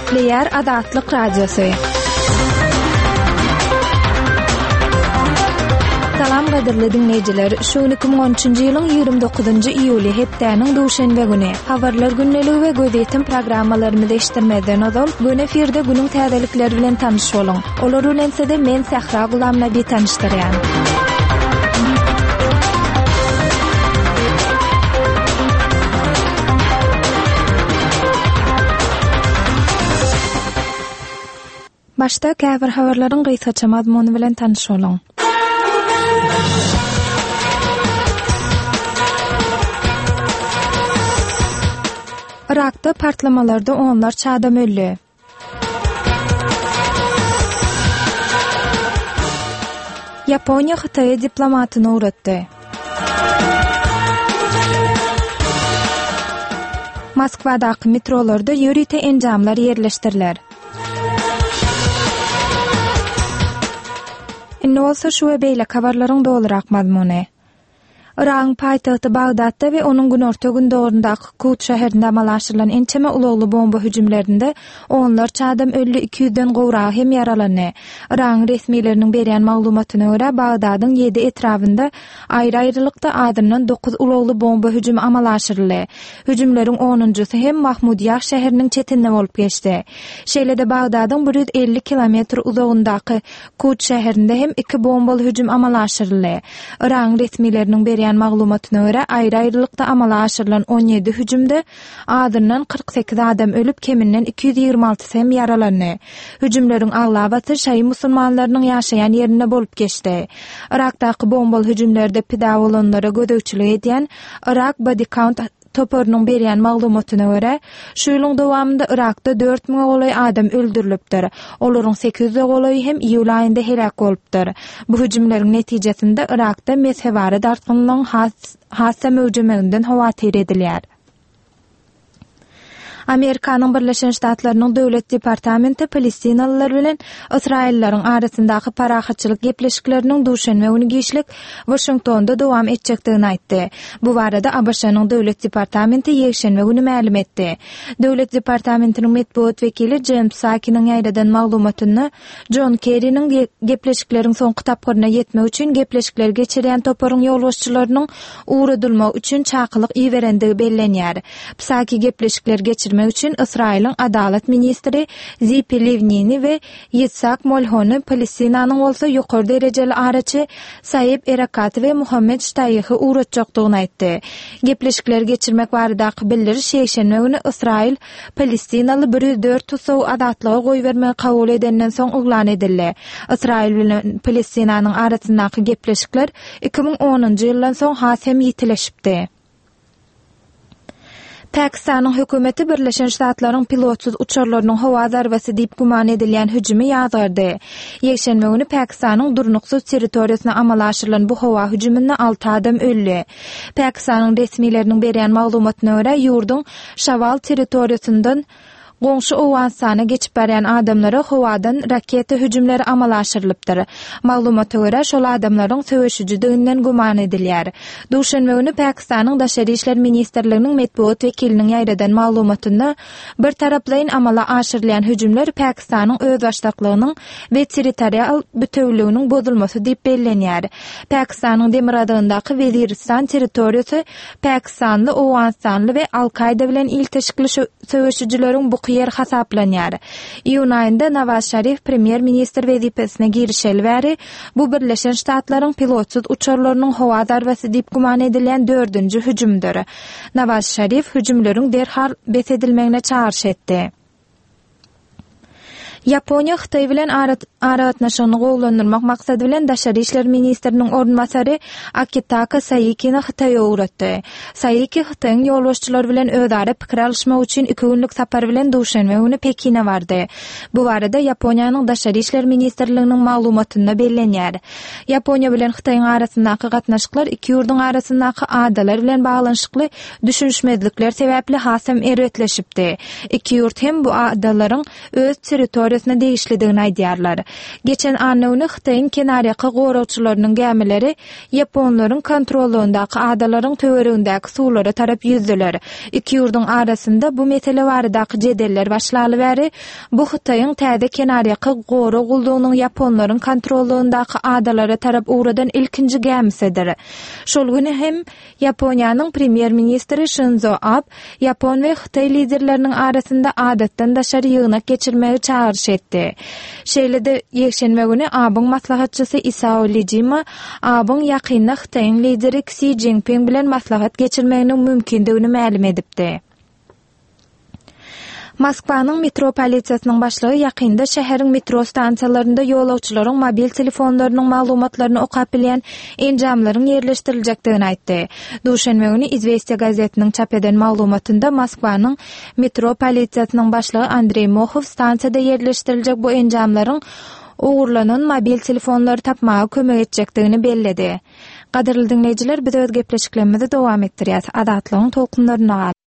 Gepleýär Azatlyk Radiosy. Salam gadyrly diňleýjiler. Şu gün 2013-nji ýylyň 29-njy iýuly hepdäniň duşenbe güni. Habarlar gündeligi we gözýetim programmalarymyzy eşitdirmezden ozal, göni efirde günüň täzelikleri bilen tanyş boluň. Olar bilen sizi men Sähra Gulamnabi tanyşdyrýan. Başda käbir habarlaryň gysgaça mazmuny bilen tanyş boluň. Yrakda partlamalarda onlarça adam öldi. Ýaponiýa Hytaýa diplomatyny ugratdy. Moskwadaky metrolarda ýörite enjamlar ýerleşdiriler. Indi bolsa şu we beýleki habarlaryň dolurak mazmuny. Yragyň paýtagty Bagdatda we onuň günorta-gündogaryndaky Kut şäherinde amala aşyrylan ençeme ulagly bomba hüjümlerinde onlarça adam öldi, iki ýüzden gowragy hem ýaralandy. Yragyň resmileriniň berýän maglumatyna görä, Bagdadyň ýedi etrabynda aýry-aýrylykda azyndan dokuz ulagly bomba hüjümi amala aşyryldy. Hüjümleriň onunjysy hem Mahmudiýah şäheriniň çetinde bolup geçdi. Şeýle-de Bagdadyň 150 kilometr uzagyndaky Kut şäherinde hem iki bombaly hüjüm amala aşyryldy. Yragyň resmileriniň berýän maglumatyna görä, aýry-aýrylykda amala aşyrylan 17 hüjümde azyndan 48 adam ölüp, keminden 226-sy hem ýaralandy. Hüjümleriň aglabasy şaýy musulmanlarynyň ýaşaýan ýerinde bolup geçdi. Yrakdaky bombaly hüjümlerde pida bolanlara gözegçilik edýän Iraq Body Count toparynyň berýän maglumatyna görä, şu ýylyň dowamynda Yrakda dört müňe golaý adam öldürilipdir. Olaryň sekiz ýüze golaýy hem iýul aýynda heläk bolupdyr. Bu hüjümleriň netijesinde Yrakda mezhebara dartgynlygyň has-da möwjemeginden howatyr edilýär. Amerikanyň Birleşen Ştatlarynyň Döwlet departamenti palestinalylar bilen ysraýyllylaryň arasyndaky parahatçylyk gepleşikleriniň duşenbe güni giçlik Waşingtonda dowam etjekdigini aýtdy. Bu barada ABŞ-nyň Döwlet departamenti ýekşenbe güni mälim etdi. Döwlet departamentiniň metbugat wekili Jen Psakiniň ýaýradan maglumatynda Jon Kerriniň gepleşikleriň soňky tapgyryna ýetmek üçin gepleşikleri geçirýän toparyň ýolbaşçylarynyň ugradylmagy üçin çakylyk iberendigi bellenýär. Psaki gepleşikleri geçirmek üçin Ysraýylyň adalat ministri Zipi Liwnini we Ýitsak Molhony, Palestinanyň bolsa ýokary derejeli araçy Saeb Erekaty we Muhammed Ştaýehi ugratjakdygyny aýtdy. Gepleşikleri geçirmek baradaky bildiriş ýekşenbe güni Ysraýyl palestinaly 104 tussagy azatlyga goýbermegi kabul edenden soň yglan edildi. Ysraýyl bilen Palestinanyň arasyndaky gepleşikler 2010-njy ýyldan soň has hem ýitileşipdi. Pakistanyň hökümeti Birleşen Ştatlaryň pilotsyz uçarlarynyň howa zarbasy diýip güman edilýän hüjümi ýazgardy. Ýekşenbe güni Pakistanyň durnuksyz territoriýasyna amala aşyrylan bu howa hüjüminde alty adam öldi. Pakistanyň resmileriniň berýän maglumatyna görä, ýurduň Şawal territoriýasyndan goňşy Owganystana geçip barýan adamlara howadan raketa hüjümleri amala aşyrylypdyr. Maglumata görä, şol adamlaryň söweşijidiginden güman edilýär. Duşenbe güni Pakistanyň Daşary işler ministrliginiň metbugat wekiliniň ýaýradan maglumatynda bir taraplaýyn amala aşyrylýan hüjümler Pakistanyň özbaşdaklygynyň we territorial bitewüliginiň bozulmasy diýip bellenýär. Pakistanyň demirgazygyndaky Weziristan territoriýasy pakistanly, owganystanly we Al-Kaýda bilen ilteşikli söweşijileriň buky ýeri hasaplanýar. Iýun aýynda Nawaz Şarif premýer-ministr wezipesine girişeli bäri, bu Birleşen Ştatlaryň pilotsyz uçarlarynyň howa zarbasy diýip güman edilýän dördünji hüjümdir. Nawaz Şarif hüjümleriň derhal bes edilmegine çagyryş etdi. Ýaponiýa Hytaý bilen aragatnaşygyny gowulandyrmak maksady bilen daşary işler ministriniň orunbasary Akitaka Saikini Hytaýa ugratdy. Saiki Hytaýyň ýolbaşçylary bilen özara pikir alyşmak üçin iki günlük sapar bilen duşenbe güni Pekine bardy. Bu barada Ýaponiýanyň Daşary işler ministrliginiň maglumatynda bellenýär. Ýaponiýa bilen Hytaýyň arasyndaky gatnaşyklar iki ýurduň arasyndaky adalar bilen baglanyşykly düşünişmezlikler sebäpli hasam erbetleşipdi. Iki ýurt hem bu adalaryň öz territoriýasy. territoriýasyna degişlidigini aýdýarlar. Geçen anna güni Hytaýyň kenarýaka goragçylarynyň gämileri ýaponlaryň kontrollygyndaky adalaryň töweregindäki suwlara tarap ýüzdüler. Iki ýurduň arasynda bu mesele baradaky jedeller başlaly bäri, bu Hytaýyň täze kenarýaka gorag gullugynyň ýaponlaryň kontrollygyndaky adalara tarap ugradan ilkinji gämisidir. Şol gün hem Ýaponiýanyň premýer-ministri Şinzo Ab ýapon we hytaý liderleriniň arasynda adatdan daşary ýygnak geçirmegi çagyryş etdi. Şeýle-de, ýekşenbe güni Abyň maslahatçysy Isao Lijima Abyň ýakynda Hytaýyň lideri Ksi Jinping bilen maslahat geçirmeginiň mümkindigini mälim edipdi. Moskwanyň metro polisiýasynyň başlygy ýakynda şäheriň metro stansiýalarynda ýolagçylaryň mobil telefonlarynyň maglumatlaryny okap bilýän enjamlaryň ýerleşdiriljekdigini aýtdy. Duşenbe güni Izwestiýa gazetiniň çap eden maglumatynda Moskwanyň metro polisiýasynyň başlygy Andreý Mohow stansiýada ýerleşdiriljek bu enjamlaryň ogurlanan mobil telefonlary tapmaga kömek etjekdigini belledi. Gadyrly diňleýjiler, biz öz gepleşiklerimizi dowam etdirýäs. Azatlygyň tolkunlarynda galyň.